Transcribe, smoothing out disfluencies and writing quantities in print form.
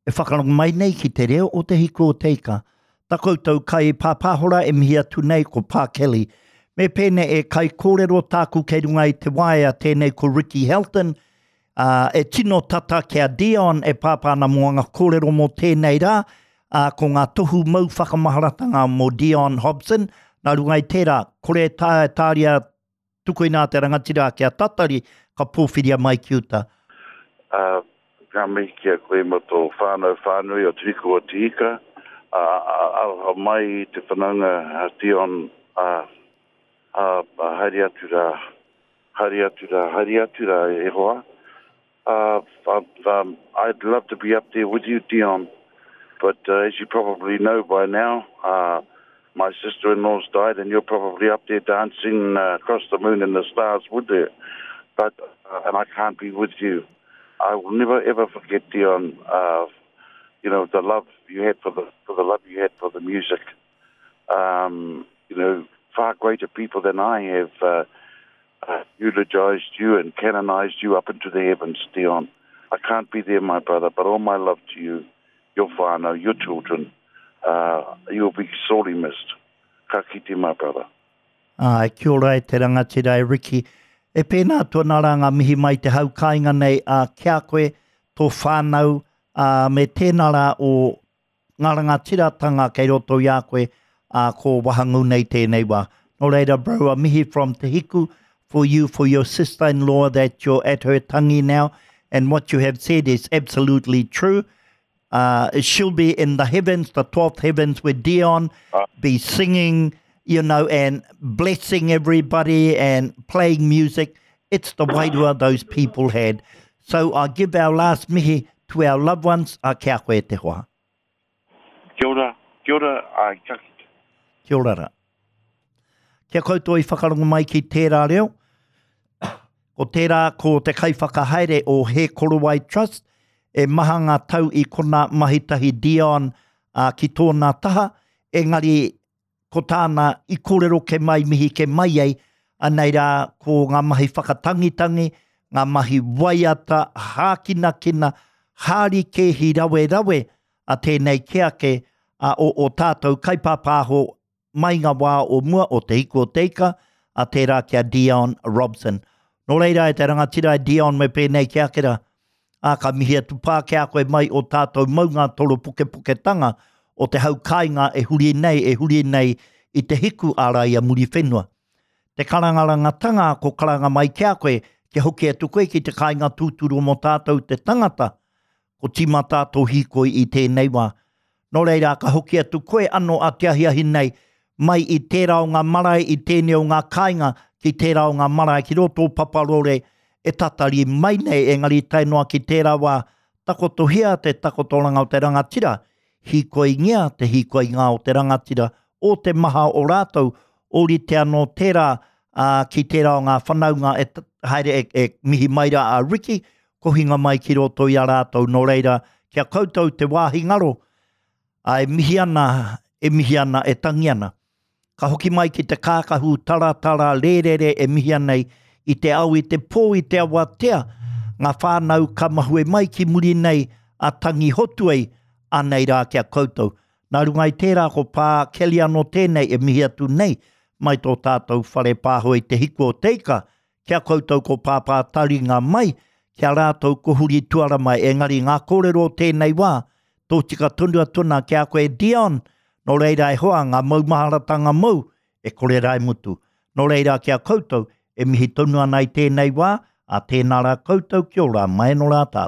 E whakarongo mai nei ki te reo o Te Hiku o Te Ika. Ta koutou kai pāpāhora e mihi atu nei ko Pā Kelly. Me pēnei e kaikōrero tāku kei runga i te waea tēnei ko Ricky Helton, ā, e tino tata ki a Dion e pāpā ana mō anga kōrero mō tēnei rā, ā, ko ngā tohu mau whakamaharatanga mō Dion Hobson, nā runga i tērā, kore e taea e tāria Tukuina te rangatira kia tatari, ka pōwhiria mai ki uta. Ā, ka mihi ki a koe mo tō whānau whānui o Te Hiku o Te Ika, ā, aroha mai i te whanaunga a Dion, ā, ā, haere atu rā, haere atu rā, haere atu rā e hoa. Uh, um, I'd love to be up there with you, Dion, but uh, as you probably know by now, uh, my sister-in-law's died and you're probably up there dancing uh, across the moon and the stars with her. But, uh, and I can't be with you. I will never ever forget, Dion, uh, you know, the love you had for the, for the love you had for the music. Um, you know, far greater people than I have uh, uh, eulogized you and canonized you up into the heavens, Dion. I can't be there, my brother, but all my love to you, your whānau, your children. Uh, you'll be sorely missed. Ka kite, my brother. Āe, kia ora e te rangatira e Ricky. E pēnā atu ana rā ngā mihi mai te hau kāinga nei a ki a koe, tō whānau, ā, me tēnā rā o ngā rangatiratanga kei roto i a koe, ā, ko wahangū nei tēnei wā. Nō reira bro, a mihi from Te Hiku for you, for your sister-in-law that you're at her tangi now, and what you have said is absolutely true. Uh, she'll be in the heavens, the 12th heavens with Dion, be singing, you know, and blessing everybody and playing music. It's the wairua those people had. So I give our last mihi to our loved ones, a kia koe te hoa. Kia ora, kia ora, ai, ka kite. Kia ora ra. Kia koutou i whakarongo mai ki tērā reo, ko tērā ko te kaiwhakahaere o He Korowai Trust, e maha ngā tau i kona mahitahi Dion uh, ki tōna taha, engari ko tāna i kōrero ke mai mihi ke mai ai, anei rā ko ngā mahi whakatangitangi, ngā mahi waiata, hākinakina, hārikēhi rawerawe a tēnei ke ake a o o tātou kaipāpāho mai ngā wā o mua o Te Hiku o Te Ika, a tērā ki a Dion Robson. Nō reira e te rangatira e Dion me pēnei ki ake rā, ā, ka mihi atu pā ki a koe mai o tātou maunga toropokepoketanga o te hau kāinga e huri nei, e huri nei i te hiku ārai a Muriwhenua. Te karangarangatanga ko karanga mai ki a koe, kia hoki atu koe ki te kāinga tūturu mō tātou te tangata, ko tīmata tō hīkoi i tēnei wā. Nō reira, ka hoki atu koe anō a te ahiahi nei, mai i tērā o ngā marae, i tēnei o ngā kāinga, ki tērā o ngā marae, ki roto o Paparore, e tatari mai nei, engari tae noa ki tērā wā, takotohia te takotoranga o te rangatira, hīkoingia te hīkoinga o te rangatira, o te maha o rātou, ōrite anō tērā, ā, ki tērā o ngā whanaunga e haere e, e mihi mai rā a Ricky, kohinga mai ki roto i a rātou, nō reira, ki a koutou te wāhi ngaro, ā, e mihi ana, e mihi ana, e tangi ana. Ka hoki mai ki te kākahu taratara rērere e mihi ana i te ao, i te pō, i te awatea, ngā whānau ka mahue mai ki muri nei a tangi hotu ai, anei rā ki a koutou. Nā runga i tērā ko Pā Kelly anō tēnei e mihi atu nei mai tō tātou whare pāho i te hiku o te ika, Ki a koutou ko Pāpā Taringa mai, ki a rātou ko Huri Tuara mai, engari ngā kōrero o tēnei wā, tōtika tonu atu ana ki a koe Dion, nō reira e hoa, ngā maumaharatanga mou, e kore rā e mutu. Nō reira ki a koutou, e mihi tonu ana i tēnei wā, ā tēnā rā koutou, kia ora, mai anō rā tātou.